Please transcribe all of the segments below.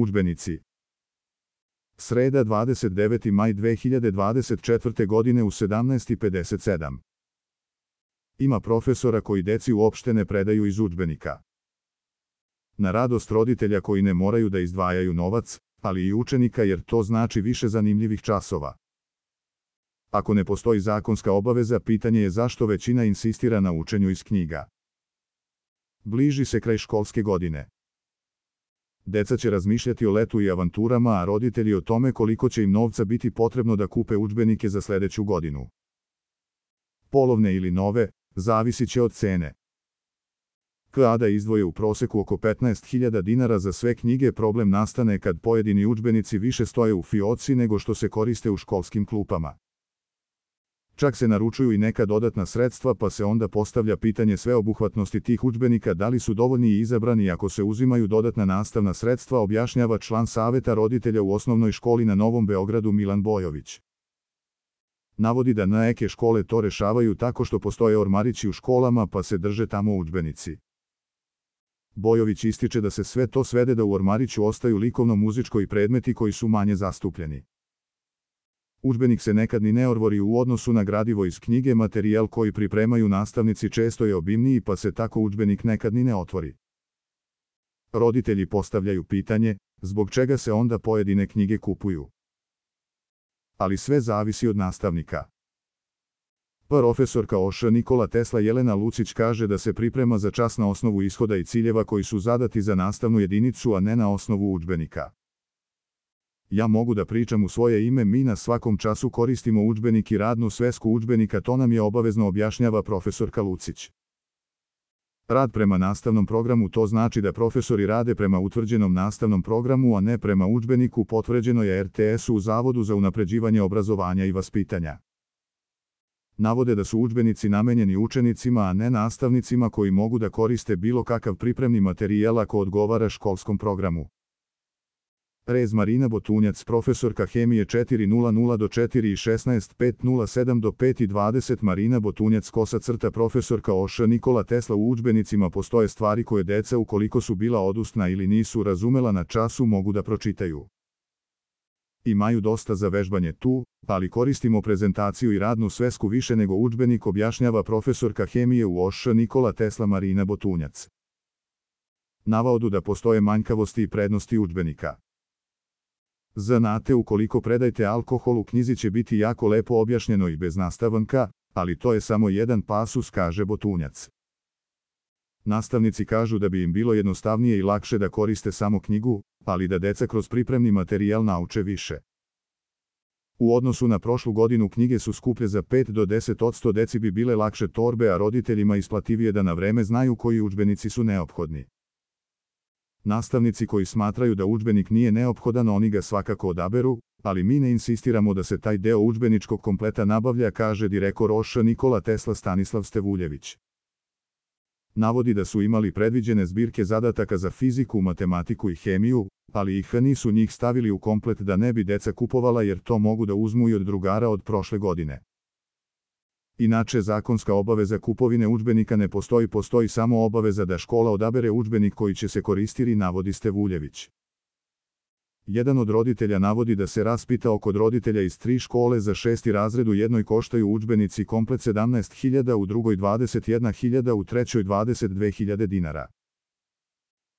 Udžbenici. Sreda 29. maj 2024. godine u 17:57. Ima profesora koji deci uopšte ne predaju iz udžbenika. Na radost roditelja koji ne moraju da izdvajaju novac, ali i učenika jer to znači više zanimljivih časova. Ako ne postoji zakonska obaveza, pitanje je zašto većina insistira na učenju iz knjiga. Bliži se kraj školske godine. Deca će razmišljati o letu i avanturama, a roditelji o tome koliko će im novca biti potrebno da kupe udžbenike za sledeću godinu. Polovne ili nove, zavisit će od cene. Kada izdvoje u proseku oko 15.000 dinara za sve knjige, problem nastane kad pojedini udžbenici više stoje u fioci nego što se koriste u školskim klupama. Čak se naručuju i neka dodatna sredstva, pa se onda postavlja pitanje sveobuhvatnosti tih udžbenika, da li su dovoljni i izabrani ako se uzimaju dodatna nastavna sredstva, objašnjava član saveta roditelja u osnovnoj školi na Novom Beogradu Milan Bojović. Navodi da neke škole to rešavaju tako što postoje ormarići u školama pa se drže tamo udžbenici. Bojović ističe da se sve to svede da u ormariću ostaju likovno-muzičko i predmeti koji su manje zastupljeni. Udžbenik se nekad ni ne orvori u odnosu na gradivo iz knjige, materijal koji pripremaju nastavnici često je obimniji pa se tako udžbenik nekad ni ne otvori. Roditelji postavljaju pitanje, zbog čega se onda pojedine knjige kupuju. Ali sve zavisi od nastavnika. Profesorka OŠ Nikola Tesla Jelena Lucić kaže da se priprema za čas na osnovu ishoda i ciljeva koji su zadati za nastavnu jedinicu, a ne na osnovu udžbenika. Ja mogu da pričam u svoje ime, mi na svakom času koristimo udžbenik i radnu svesku udžbenika, to nam je obavezno, objašnjava profesorka Lucić. Rad prema nastavnom programu, to znači da profesori rade prema utvrđenom nastavnom programu, a ne prema udžbeniku, potvrđeno je RTS-u u Zavodu za unapređivanje obrazovanja i vaspitanja. Navode da su udžbenici namenjeni učenicima, a ne nastavnicima koji mogu da koriste bilo kakav pripremni materijal ako odgovara školskom programu. Rez Marina Botunjac, profesorka hemije 4:00 do 4:16, 5:07 do 5:20. Marina Botunjac, profesorka OŠ Nikola Tesla, u udžbenicima postoje stvari koje deca, ukoliko su bila odustna ili nisu razumela na času, mogu da pročitaju. Imaju dosta za vežbanje tu, ali koristimo prezentaciju i radnu svesku više nego udžbenik, objašnjava profesorka hemije u OŠ Nikola Tesla Marina Botunjac. Navodu da postoje manjkavosti i prednosti udžbenika. Znate, ukoliko predajte alkohol, u knjizi će biti jako lepo objašnjeno i bez nastavnika, ali to je samo jedan pasus, kaže Botunjac. Nastavnici kažu da bi im bilo jednostavnije i lakše da koriste samo knjigu, ali da deca kroz pripremni materijal nauče više. U odnosu na prošlu godinu knjige su skuplje za 5 do 10%, deci bi bile lakše torbe, a roditeljima isplativije da na vreme znaju koji udžbenici su neophodni. Nastavnici koji smatraju da udžbenik nije neophodan, oni ga svakako odaberu, ali mi ne insistiramo da se taj deo udžbeničkog kompleta nabavlja, kaže direktor OŠ Nikola Tesla Stanislav Stevuljević. Navodi da su imali predviđene zbirke zadataka za fiziku, matematiku i hemiju, ali ih nisu njih stavili u komplet da ne bi deca kupovala, jer to mogu da uzmu i od drugara od prošle godine. Inače, zakonska obaveza kupovine udžbenika ne postoji, postoji samo obaveza da škola odabere udžbenik koji će se koristiti, navodi Stevuljević. Jedan od roditelja navodi da se raspitao kod roditelja iz 3 škole, za 6. razred u jednoj koštaju udžbenici komplet 17.000, u drugoj 21.000, u trećoj 22.000 dinara.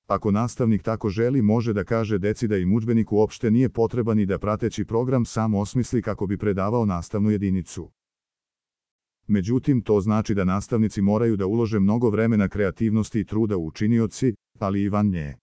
Ako nastavnik tako želi, može da kaže deci da im udžbenik uopšte nije potreban i da prateći program sam osmisli kako bi predavao nastavnu jedinicu. Međutim, to znači da nastavnici moraju da ulože mnogo vremena, kreativnosti i truda u učinioci, ali i van nje.